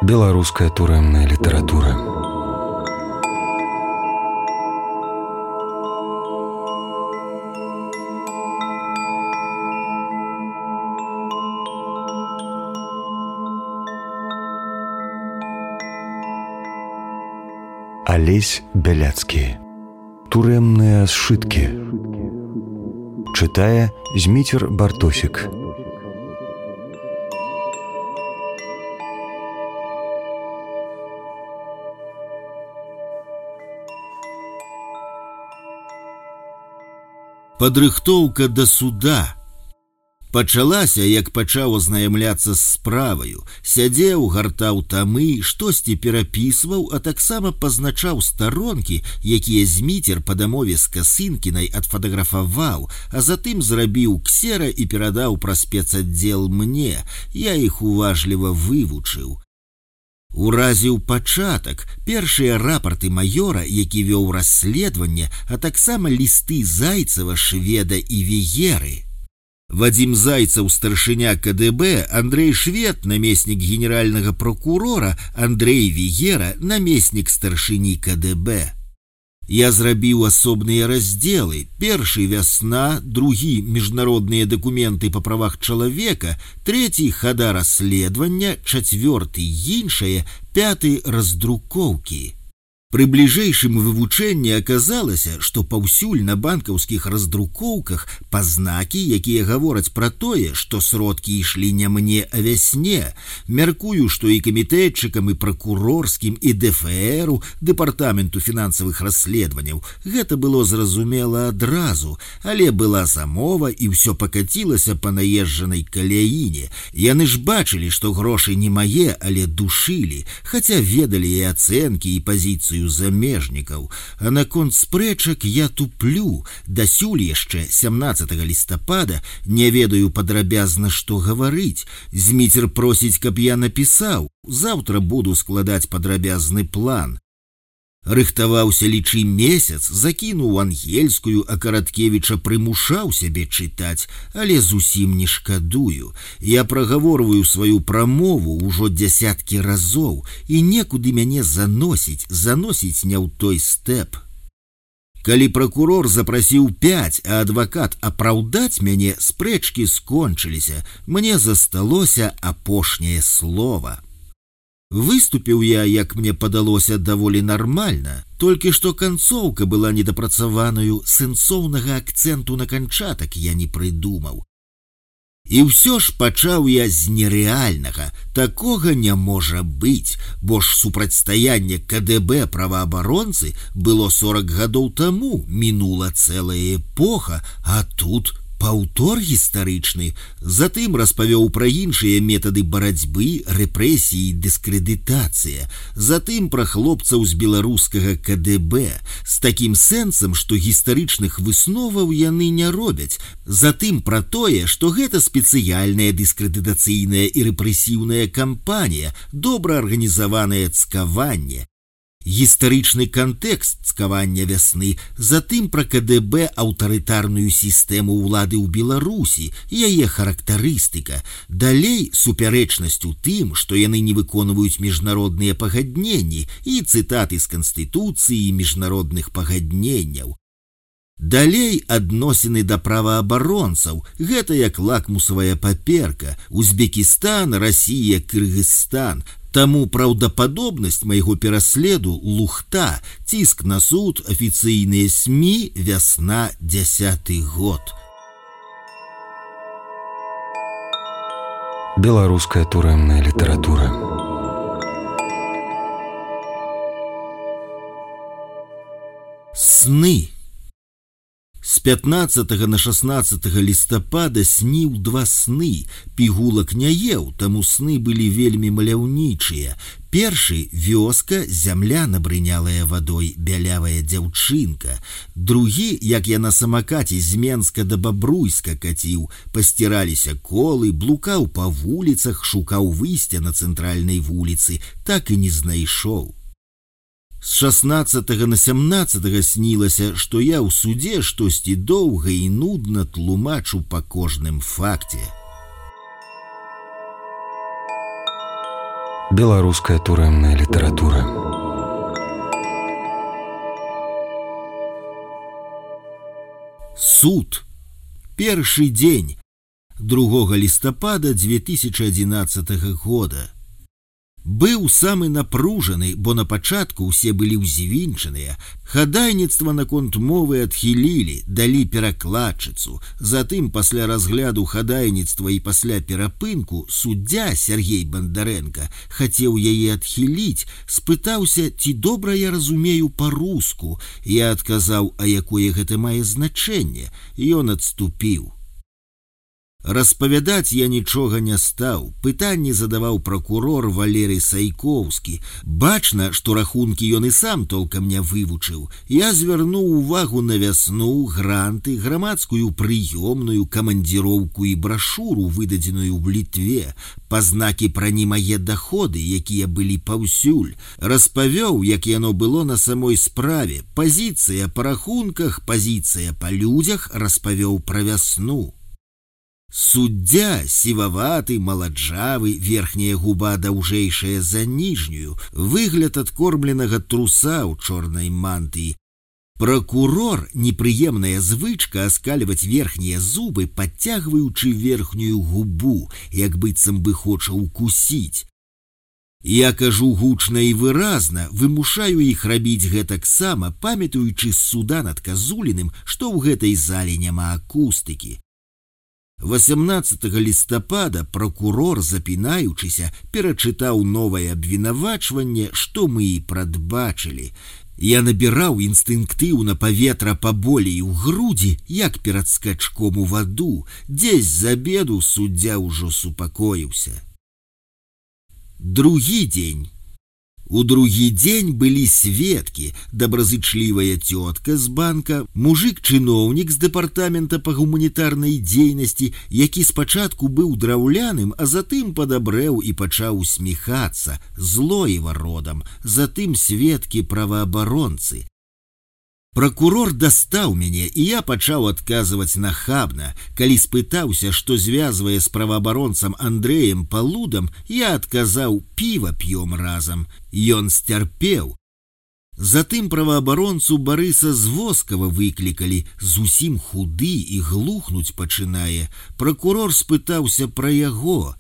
Беларуская турэмная літаратура. Алесь Бяляцкі. Турэмныя сшыткі. Чытае Зміцер Бартосік. Падрыхтоўка да суда. Пачалася, як пачаў азнаямляцца з справаю, сядзеў, гартаў тамы, штосьці перапісваў, а таксама пазначаў старонкі, якія Зміцер па дамове з Касынкінай адфатаграфаваў, а затым зрабіў ксера і перадаў праз спецаддзел мне. Я іх уважліва вывучыў. Уразіў пачатак, першыя рапарты маёра, які вёў расследаванне, а таксама лісты Зайцева, Шведа і Вееры. Вадзім Зайцев, старшыня КДБ, Андрей Швед, намеснік генеральнага прокурора, Андрей Веера, намеснік старшыні КДБ. Я зрабіў асобныя раздзелы. Першы вясна, другі міжнародныя дакументы па правах чалавека, трэці хада расследавання, чацвёрты іншае, пяты раздрукоўкі. Пры бліжэйшым вывучэнні аказалася, што паўсюль на банкаўскіх раздрукоўках пазнакі, якія гавораць пра тое, што сродкі ішлі не мне, а вясне. Мяркую, што і камітэтчыкам, і пракурорскім, і ДФРу, дэпартаменту фінансавых расследаванняў, гэта было зразумела адразу, але была замова і ўсё пакацілася па наезджанай каляіне. Яны ж бачылі, што грошы не мае, але душылі, хаця ведалі і ацэнкі, і пазіцыю замежнікаў. А наконт спрэчак я туплю. Дасюль яшчэ 17 лістапада не ведаю падрабязна, што гаварыць. Зміцер просіць, каб я напісаў. Заўтра буду складаць падрабязны план. Рыхтаваўся, лічы, месяц, закінуў ангельскую, а Караткевіча прымушаў сябе чытаць, але зусім не шкадую. Я прагаворваю сваю прамову ўжо дзясяткі разоў, і некуды мяне заносіць не ў той стэп. Калі пракурор запрасіў 5, а адвакат апраўдаць мяне, спрэчкі скончыліся. Мне засталося апошняе слова. Выступіў я, як мне падалося, даволі нармальна, толькі што канцоўка была недапрацаванаю, сэнсоўнага акцэнту на канчатак я не прыдумаў. І ўсё ж пачаў я з нерэальнага. Такога не можа быць, бо ж супрацьстаянне КДБ праваабаронцы было 40 гадоў таму, мінула цэлая эпоха, а тут паўтор гістарычны. Затым распавёў пра іншыя метады барацьбы, рэпрэсіі, дыскрэдытацыя. Затым пра хлопцаў з беларускага КДБ, з такім сэнсам, што гістарычных высноваў яны не робяць. Затым пра тое, што гэта спецыяльная дыскрэдытацыйная і рэпрэсіўная кампанія, добра арганізаванае цкаванне. Гістарычны кантэкст цкавання вясны, затым пра КДБ, аўтарытарную сістэму ўлады ў Беларусі, яе характарыстыка. Далей супярэчнасць у тым, што яны не выконваюць міжнародныя пагадненні, і цытаты з Канстытуцыі і міжнародных пагадненняў. Далей адносіны да праваабаронцаў, гэта як лакмусавая паперка, Узбекістан, Расія, Кыргызстан. Таму праўдападобнасць майго пераследу лухта, ціск на суд, афіцыйныя СМІ, вясна, 10-й год. Беларуская турэмная літаратура. Сны. З 15 на 16 лістапада сніў 2 сны. Пігулак не еў, таму сны былі вельмі маляўнічыя. Першы — вёска, зямля, набрынялая вадой, бялявая дзяўчынка. Другі, як я на самакаце з Менска да Бабруйска каціў, пасціраліся колы, блукаў па вуліцах, шукаў выйсця на цэнтральнай вуліцы, так і не знайшоў. З 16 на 17 снілася, што я ў судзе штосьці доўга і нудна тлумачу па кожным факце. Беларуская турэмная літаратура. Суд. Першы дзень 2 лістапада 2011 года. Быў самы напружаны, бо на пачатку ўсе былі ўзвінчаныя. Хадайніцтва наконт мовы адхілілі, далі перакладчыцу. Затым пасля разгляду хадайніцтва і пасля перапынку суддзя Сергей Бандарэнка хацеў яе адхіліць, спытаўся, ці добра я разумею па-руску. Я адказаў, а якое гэта мае значэнне. Ён адступіў. Распавядаць я нічога не стаў. Пытанні задаваў пракурор Валерый Сайкоўскі. Бачна, што рахункі ён і сам толкам не вывучыў. Я звярнуў увагу на вясну, гранты, грамадскую прыёмную, камандзіроўку і брашуру, выдадзеную ў Літве, пазнакі пра немае даходы, якія былі паўсюль. Распавёў, як яно было на самой справе. Пазіцыя па рахунках, пазіцыя па людзях, распавёў пра вясну. Суддзя сіваваты, маладжавы, верхняя губа даўжэйшая за ніжнюю, выгляд адкормленага труса ў чорнай мантыі. Пракурор, непрыемная звычка аскальваць верхнія зубы, падцягваючы верхнюю губу, як быццам бы хоча укусіць. Я кажу гучна і выразна, вымушаю іх рабіць гэтаксама, памятаючы з суда над Казуліным, што ў гэтай зале няма акустыкі. 18 лістапада пракурор, запінаючыся, перачытаў новае абвінавачванне, што мы і прадбачылі. Я набіраў інстынктыўна паветра паболей у грудзі, як перад скачком у ваду. Дзесь з абеду суддзя ўжо супакоіўся. Другі дзень. У другі дзень былі сведкі, добразычлівая цётка з банка, мужик-чыноўнік з дэпартамента па гуманітарнай дзейнасці, які спачатку быў драўляным, а затым падабрэў і пачаў усміхацца, Злоева родам, затым сведкі праваабаронцы. Пракурор дастаў мяне, і я пачаў адказваць нахабна. Калі спытаўся, што звязвае з праваабаронцам Андрэем Палудам, я адказаў, піва п'ём разам. Ён сцярпеў. Затым праваабаронцу Барыса Звоскава выклікалі, зусім худы і глухнуць пачынае. Пракурор спытаўся пра яго.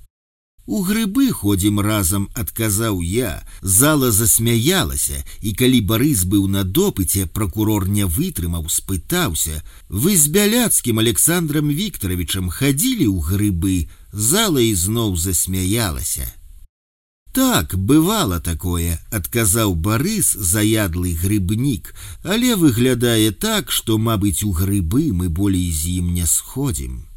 У грыбы ходзім разам, адказаў я. Зала засмяялася, і калі Барыс быў на допыце, пракурор не вытрымаў, спытаўся: вы з Бяляцкім Александром Викторовичем хадзілі ў грыбы? Зала ізноў засмяялася. Так, бывала такое, адказаў Барыс, заядлы грыбнік, але выглядае так, што, мабыць, у грыбы мы болей з ім не сходзім.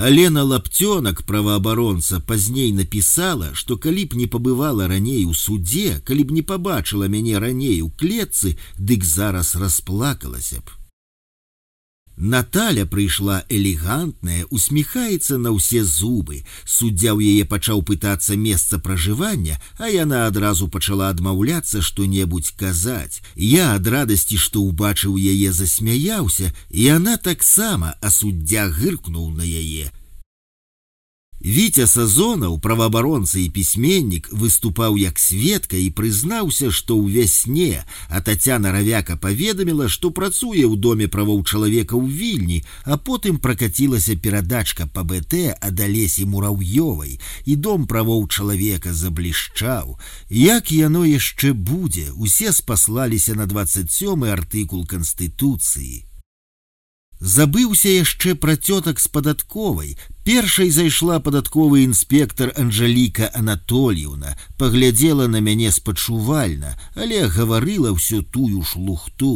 Алена Лаптёнак, праваабаронца, пазней напісала, што калі б не пабывала раней у судзе, калі б не пабачыла мяне раней у клетцы, дык зараз расплакалася б. Наталя прыйшла элегантная, усміхаецца на ўсе зубы. Суддзя ў яе пачаў пытацца месца пражывання, а яна адразу пачала адмаўляцца што-небудзь казаць. Я ад радасці, што ўбачыў яе, засмяяўся, і яна таксама, а суддзя гыркнуў на яе. Віця Сазонаў, праваабаронца і пісьменнік, выступаў як сведка і прызнаўся, што ў вясне, а Тацяна Равяка паведаміла, што працуе ў доме правоў чалавека ў Вільні, а потым пракацілася перадачка па БТ ад Алесі Мураўёвай, і дом правоў чалавека заблішчаў. Як яно яшчэ будзе? Усе спаслаліся на 27-й артыкул Канстытуцыі. Забыўся яшчэ пра цётак з падатковай. Першай зайшла падатковы інспектар Анжаліка Анатольевна, паглядзела на мяне спачувальна, але гаварыла ўсё тую ж лухту.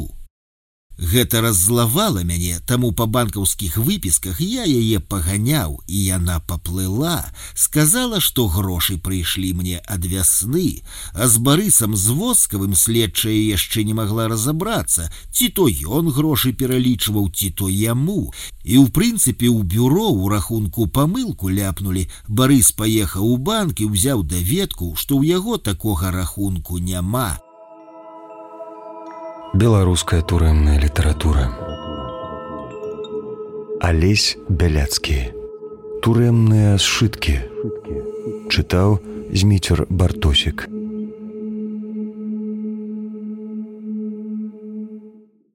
Гэта раззлавала мяне, таму па банкаўскіх выпісках я яе паганяў, і яна паплыла, сказала, што грошы прыйшлі мне ад вясны, а з Барысам Звоскавым следчая яшчэ не магла разабрацца, ці то ён грошы пералічваў, ці то яму. І ў прынцыпе ў бюро ў рахунку памылку ляпнулі. Барыс паехаў у банк і ўзяў даведку, што ў яго такога рахунку няма. Беларуская турэмная літаратура. Алесь Бяляцкі. Турэмныя сшыткі. Чытаў Зміцер Бартосік.